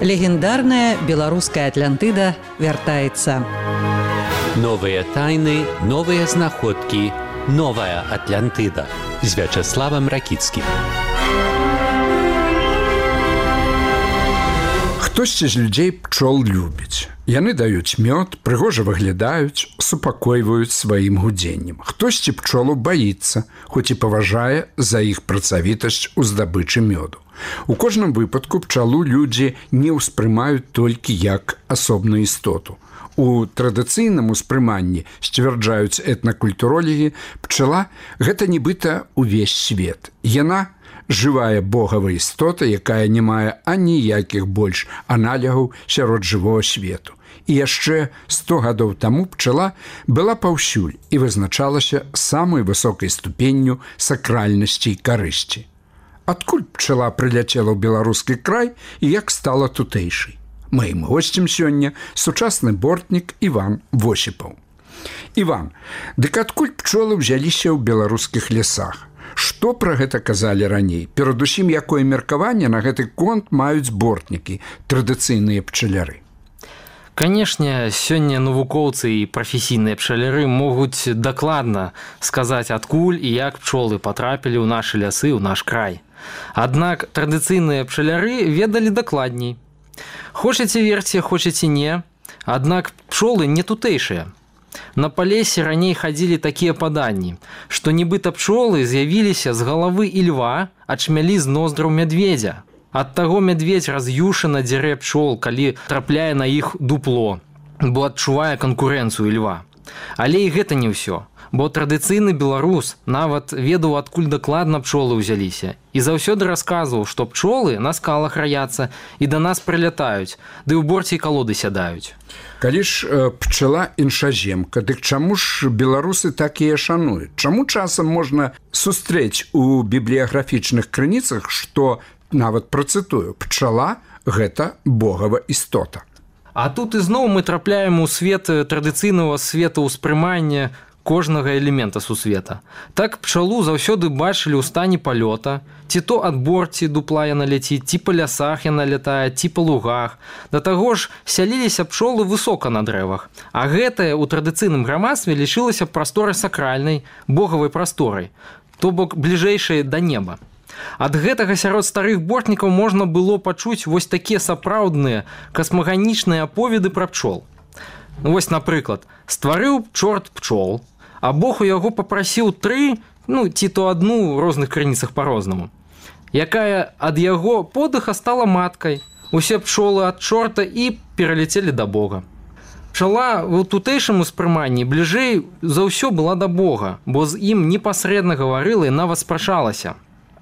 Легендарная беларуская Атлантыда вяртаецца. Новыя тайны, новыя знаходкі, новая Атлантыда з Вячеславам Ракіцкім. Хтосьці з людзей пчол любіць. Яны даюць мёд, прыгожа выглядаюць, супакойваюць сваім гудзеннем. Хтосьці пчолу баіцца, хоць і паважае за іх працавітасць у здабычы мёду. У кожным выпадку пчалу людзі не ўспрымаюць толькі як асобную істоту. У традыцыйным успрыманні, сцвярджаюць этнакультуролегі, пчала – гэта нібыта ўвесь свет. Яна – жывая богавая істота, якая не мае аніякіх больш аналягаў сярод жывога свету. І яшчэ 100 гадоў таму пчала была паўсюль і вызначалася самай высокай ступенню сакральнасці і карысці. Адкуль пчала прыляцела ў беларускі край і як стала тутэйшай? Маім госцем сёння сучасны бортнік Іван Восіпаў. Іван, дык адкуль пчолы ўзяліся ў беларускіх лясах? Што пра гэта казалі раней? Перадусім, якое меркаванне на гэты конт маюць бортнікі, традыцыйныя пчаляры? Канешне, сёння навукоўцы і прафесійныя пчаляры могуць дакладна сказаць, адкуль і як пчолы патрапілі ў нашы лясы, ў наш край. Аднак традыцыйныя пчаляры ведалі дакладней. Хочаце верце, хочаце не, аднак пчолы не тутэйшыя. На палесе раней хадзілі такія паданні, што нібыта пчолы з'явіліся з галавы ільва, ачмялі з ноздраў мядведзя. Ад таго мядведзь раз'юшана дзярэ пчол, калі трапляе на іх дупло, бо адчувае канкурэнцыю ільва. Але і гэта не ўсё, бо традыцыйны беларус нават ведаў, адкуль дакладна пчолы ўзяліся. І заўсёды расказваў, што пчолы на скалах раяцца і да нас прылятаюць, ды ў борце калоды сядаюць. Калі ж пчала іншаземка, дык чаму ж беларусы так яе шануюць? Чаму часам можна сустрэць у бібліяграфічных крыніцах, што, нават працытую, пчала – гэта богава істота? А тут ізноў мы трапляем у свет традыцыйнага светаўспрымання кожнага элемента сусвета. Так пчалу заўсёды бачылі ў стане палёта, ці то ад борці дупла яна ляціць, ці па лясах яна лятае, ці па лугах. Да таго ж сяліліся пчолы высока на дрэвах, а гэтае ў традыцыйным грамадстве лічылася прасторай сакральнай, богавай прасторай, то бок бліжэйшай да неба. Ад гэтага сярод старых бортнікаў можна было пачуць вось такія сапраўдныя касмаганічныя аповеды пра пчол. Вось, напрыклад, стварыў чорт пчол, а Бог у яго папрасіў 3, ці то адну, у розных крыніцах па-рознаму, якая ад яго подыха стала маткай. Усе пчолы ад чорта і пераляцелі да Бога. Пчала ў тутэйшым успрыманні бліжэй за ўсё была да Бога, бо з ім непасрэдна гаварыла і нават спрачалася.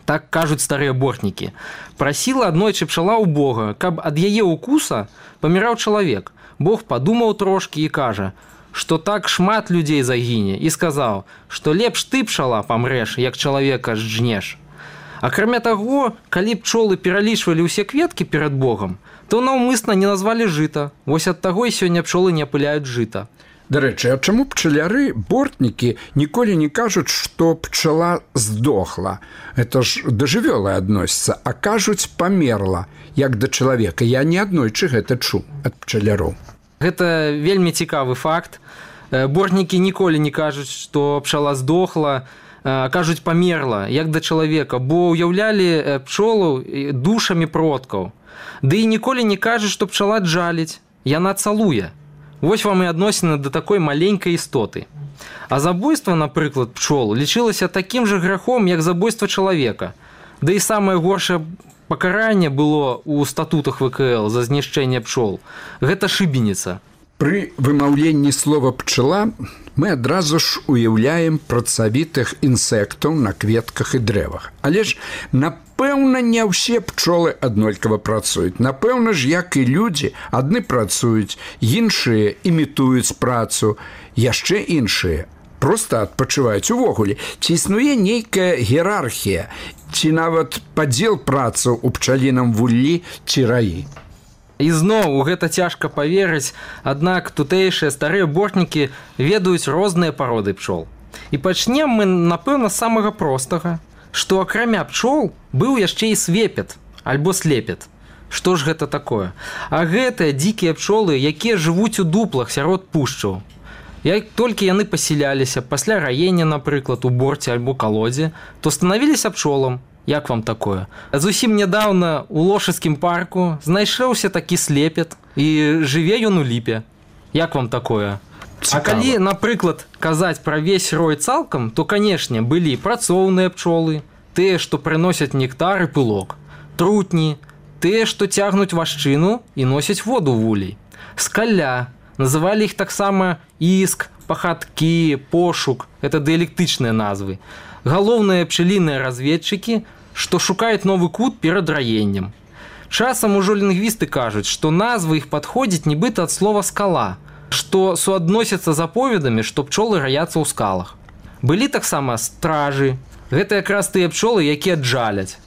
Так кажуць старыя бортнікі. Прасіла аднойчы пчала ў Бога, каб ад яе укуса паміраў чалавек. Бог падумаў трошкі і кажа, што так шмат людзей загіне, і сказаў, што лепш ты, пчала, памрэш, як чалавека жжнеш. Акрамя таго, калі пчолы пералічвалі ўсе кветкі перад Богам, то наўмысна не назвалі жыта. Вось ад таго і сёння пчолы не апыляюць жыта. Дарэчы, а чаму пчаляры, бортнікі ніколі не кажуць, што пчала здохла? Это ж да жывёлы адносіцца, а кажуць памерла, як да чалавека. Я не аднойчы гэта чуў ад пчаляроў. Гэта вельмі цікавы факт. Бортнікі ніколі не кажуць, што пчала здохла, кажуць памерла, як да чалавека, бо ўяўлялі пчолу душамі продкаў. Ды і ніколі не кажуць, што пчала джаліць, яна цалуе. Вось вам і адносіны да такой маленькай істоты. А забойства, напрыклад, пчол лічылася такім жа грахом, як забойства чалавека. Да і самае горшае пакаранне было ў статутах ВКЛ за знішчэнне пчол. Гэта шыбеніца. Пры вымаўленні слова «пчала» мы адразу ж уяўляем працавітых інсектаў на кветках і дрэвах. Але ж, напэўна, не ўсе пчолы аднолькава працуюць. Напэўна ж, як і людзі, адны працуюць, іншыя імітуюць працу, яшчэ іншыя проста адпачываюць увогуле. Ці існуе нейкая іерархія, ці нават падзел працаў у пчаліным вуллі ці раі? Ізноў, у гэта цяжка паверыць, аднак тутэйшыя старыя бортнікі ведаюць розныя пароды пчол. І пачнем мы, напэўна, з самага простага, што акрамя пчол быў яшчэ і свепет, альбо слепет. Што ж гэта такое? А гэтыя дзікія пчолы, якія жывуць у дуплах сярод пушчаў. Як толькі яны пасяляліся пасля раення, напрыклад, у борце альбо калодзе, то станавіліся пчолам. Як вам такое? Зусім нядаўна у Лошыцкім парку знайшоўся такі слепет, і жыве ён у ліпе. Як вам такое? Цікава. А калі, напрыклад, казаць пра весь рой цалкам, то, канешне, былі працоўныя пчолы, тыя, што прыносяць нектар і пылок, трутні, тыя, што цягнуць вашчыну і носяць воду вулей. Скаля, называлі іх таксама іск, пахаткі, пошук, гэта дыялектычныя назвы. Галоўныя пчаліныя разведчыкі, што шукаюць новы кут перад раеннем. Часам ужо лінгвісты кажуць, што назвы іх падходзяць нібыта ад слова скала, што суадносяцца з аповедамі, што пчолы раяцца ў скалах. Былі таксама стражы, гэта якраз тыя пчолы, якія джаляць.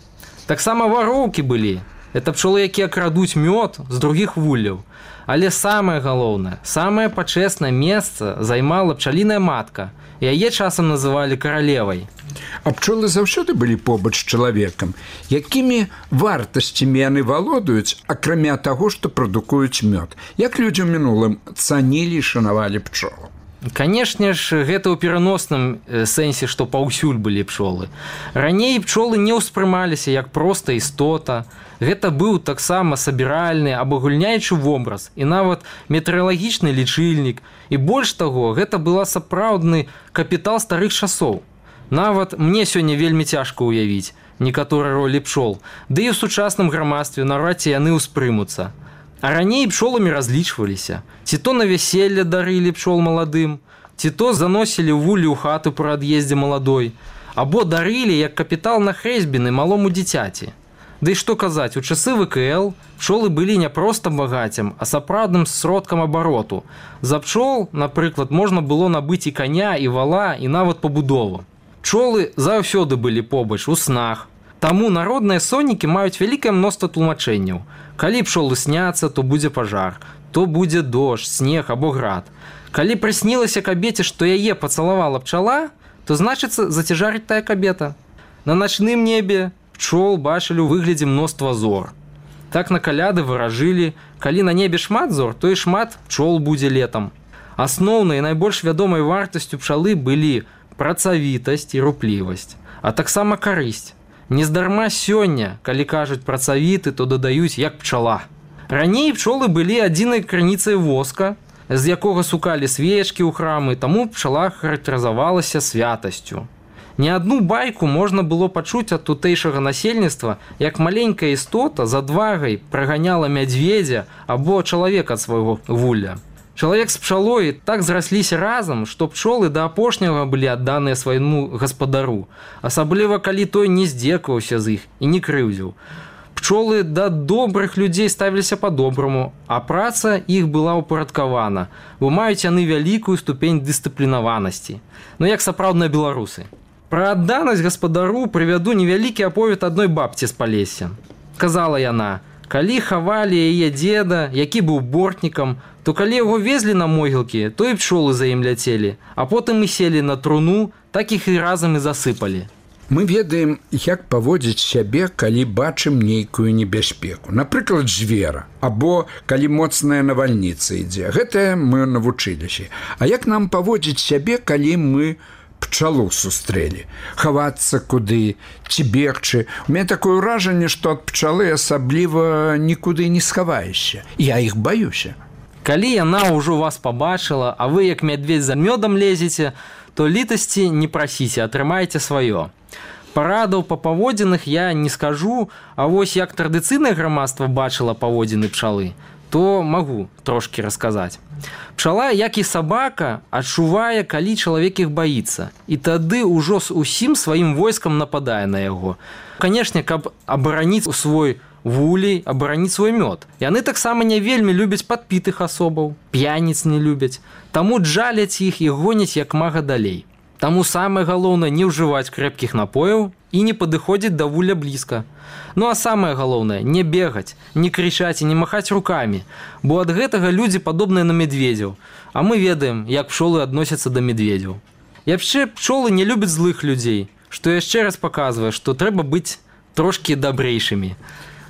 Таксама вароўкі былі. Это пчолы, якія крадуць мёд з другіх вулляў. Але самае галоўнае, самае пачэснае месца займала пчаліная матка. Яе часам называлі каралевай. А пчолы заўсёды былі побач з чалавекам. Якімі вартасцямі яны валодаюць, акрамя таго, што прадукуюць мёд? Як людзі ў мінулым цанілі і шанавалі пчолу? Канешне ж, гэта ў пераносным сэнсе, што паўсюль былі пчолы. Раней пчолы не ўспрымаліся як проста істота. Гэта быў таксама сабіральны, абагульняючы вобраз і нават метэаралагічны лічыльнік. І больш таго, гэта была сапраўдны капітал старых часоў. Нават мне сёння вельмі цяжка ўявіць некаторыя ролі пчол, ды і ў сучасным грамадстве наўрад ці яны ўспрымуцца. А раней пчоламі разлічваліся. Ці то на вяселле дарылі пчол маладым, ці то заносілі вуллі ў хату пры ад'ездзе маладой, або дарылі як капітал на хрэсьбіны малому дзіцяці. Ды і што казаць, у часы ВКЛ пчолы былі не проста багаццем, а сапраўдным сродкам абароту. За пчол, напрыклад, можна было набыць і каня, і вала, і нават пабудову. Пчолы заўсёды былі побач у снах. Таму народныя соннікі маюць вялікае мноства тлумачэнняў. Калі пчолы сняцца, то будзе пажар, то будзе дождж, снег або град. Калі прыснілася кабеце, што яе пацалавала пчала, то значыцца зацяжарыць тая кабета. На начным небе пчол бачылі ў выглядзе мноства зор. Так на каляды выражылі, калі на небе шмат зор, то і шмат пчол будзе летам. Асноўнай і найбольш вядомай вартасцю пчалы былі працавітасць і руплівасць, а таксама карысць. Нездарма сёння, калі кажуць працавіты, то дадаюць як пчала. Раней пчолы былі адзінай крыніцай воска, з якога сукалі свечкі ў храмы, таму пчала характарызавалася святасцю. Не адну байку можна было пачуць ад тутэйшага насельніцтва, як маленькая істота з адвагай праганяла мядзведзя або чалавека ад свайго вулля. Чалавек з пчалой так зрасліся разам, што пчолы да апошняга былі адданыя свайму гаспадару, асабліва калі той не здзекаваўся з іх і не крыўдзіў. Пчолы да добрых людзей ставіліся па-добраму, а праца іх была ўпарадкавана, бо маюць яны вялікую ступень дысцыплінаванасці. Ну як сапраўдныя беларусы. Пра адданасць гаспадару прывяду невялікі аповед адной бабці з Палесся. Казала яна: калі хавалі яе дзеда, які быў бортнікам, то калі яго везлі на могілкі, то і пчолы за ім ляцелі, а потым і селі на труну, так іх і разам і засыпалі. Мы ведаем, як паводзіць сябе, калі бачым нейкую небяспеку. Напрыклад, звера, або калі моцная навальніца ідзе. Гэта мы навучыліся. А як нам паводзіць сябе, калі мы пчалу сустрэлі? Хавацца куды, ці бегчы? У мяне такое ўражанне, што ад пчалы асабліва нікуды не схаваешся. Я іх баюся. Калі яна ўжо вас пабачыла, а вы як мядведзь за мёдам лезеце, то літасці не прасіце, атрымайце сваё. Парадаў па паводзінах я не скажу, а вось як традыцыйнае грамадства бачыла паводзіны пчалы, то магу трошкі расказаць. Пчала, як і сабака, адчувае, калі чалавек іх баіцца, і тады ўжо з усім сваім войскам нападае на яго. Канешне, каб абараніць свой вулей, абараніць свой мёд. Яны таксама не вельмі любяць падпітых асобаў, п'яніц не любяць, таму джаляць іх і гоняць як мага далей. Таму самае галоўнае не ўжываць крэпкіх напояў і не падыходзіць да вулля блізка. Ну а самае галоўнае, не бегаць, не крычаць і не махаць рукамі, бо ад гэтага людзі падобныя на медведзяў, а мы ведаем, як пчолы адносяцца да медведзяў. Яшчэ пчолы не любяць злых людзей, што яшчэ раз паказвае, што трэба быць трошкі дабрэйшымі.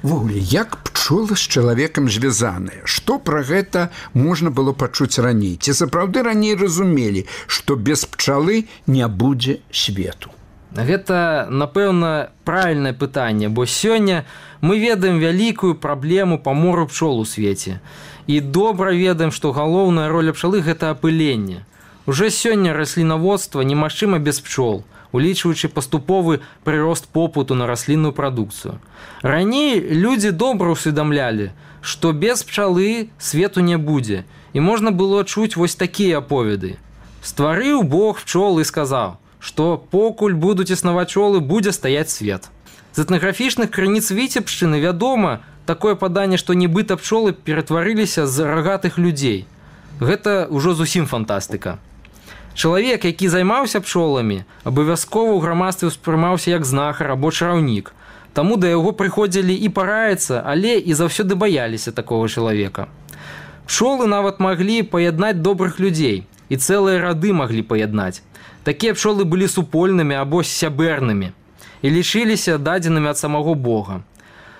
Вогуле, як пчолы з чалавекам звязаныя? Што пра гэта можна было пачуць раней? Ці сапраўды раней разумелі, што без пчалы не будзе свету? Гэта, напэўна, правільнае пытанне, бо сёння мы ведаем вялікую праблему памору пчол у свеце. І добра ведаем, што галоўная роля пчалы – гэта апыленне. Уже сёння раслінаводства немагчыма без пчол, улічваючы паступовы прырост попыту на раслінную прадукцыю. Раней людзі добра ўсведамлялі, што без пчалы свету не будзе, і можна было чуць вось такія аповеды. Стварыў Бог пчол і сказаў, што покуль будуць існаваць пчолы, будзе стаяць свет. З этнаграфічных крыніц Віцебшчыны вядома такое паданне, што нібыта пчолы ператварыліся з рагатых людзей. Гэта ўжо зусім фантастыка. Чалавек, які займаўся пчоламі, абавязкова ў грамадстве ўспрымаўся як знахар або чараўнік. Таму да яго прыходзілі і параіцца, але і заўсёды баяліся такога чалавека. Пчолы нават маглі паяднаць добрых людзей, і цэлыя рады маглі паяднаць. Такія пчолы былі супольнымі або сябернымі і лічыліся дадзенымі ад самого Бога.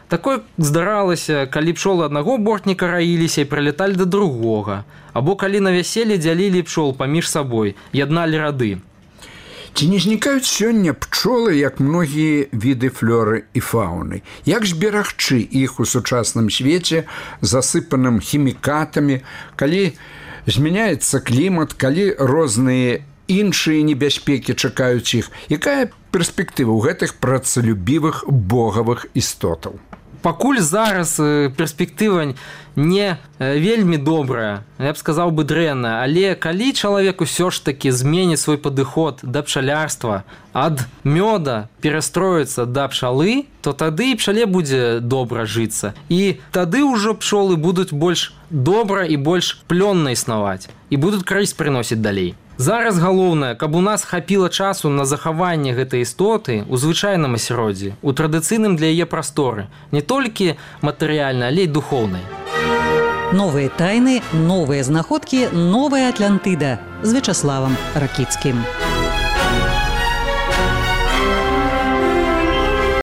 Такое здаралася, калі пчолы аднаго бортніка раіліся і прылеталі да другога, або калі на вяселле дзялілі пчол паміж сабой, ядналі рады. Ці не знікаюць сёння пчолы, як многія віды флоры і фауны? Як ж берагчы іх у сучасным свеце, засыпаным хімікатамі, калі змяняецца клімат, калі розныя іншыя небяспекі чакаюць іх? Якая перспектыва ў гэтых працалюбівых богавых істотаў? Пакуль зараз перспектыва не вельмі добрая, я б сказаў бы дрэнная, але калі чалавек усё ж такі зменіць свой падыход да пчалярства, ад мёда перастроіцца да пчалы, то тады і пчале будзе добра жыцца. І тады ўжо пчолы будуць больш добра і больш плённа існаваць і будуць карысць прыносіць далей. Зараз галоўнае, каб у нас хапіла часу на захаванне гэтай істоты ў звычайным асяроддзі, у традыцыйным для яе прасторы, не толькі матэрыяльнай, але і духоўнай. Новыя тайны, новыя знаходкі, новая Атлантыда з Вячаславам Ракіцкім.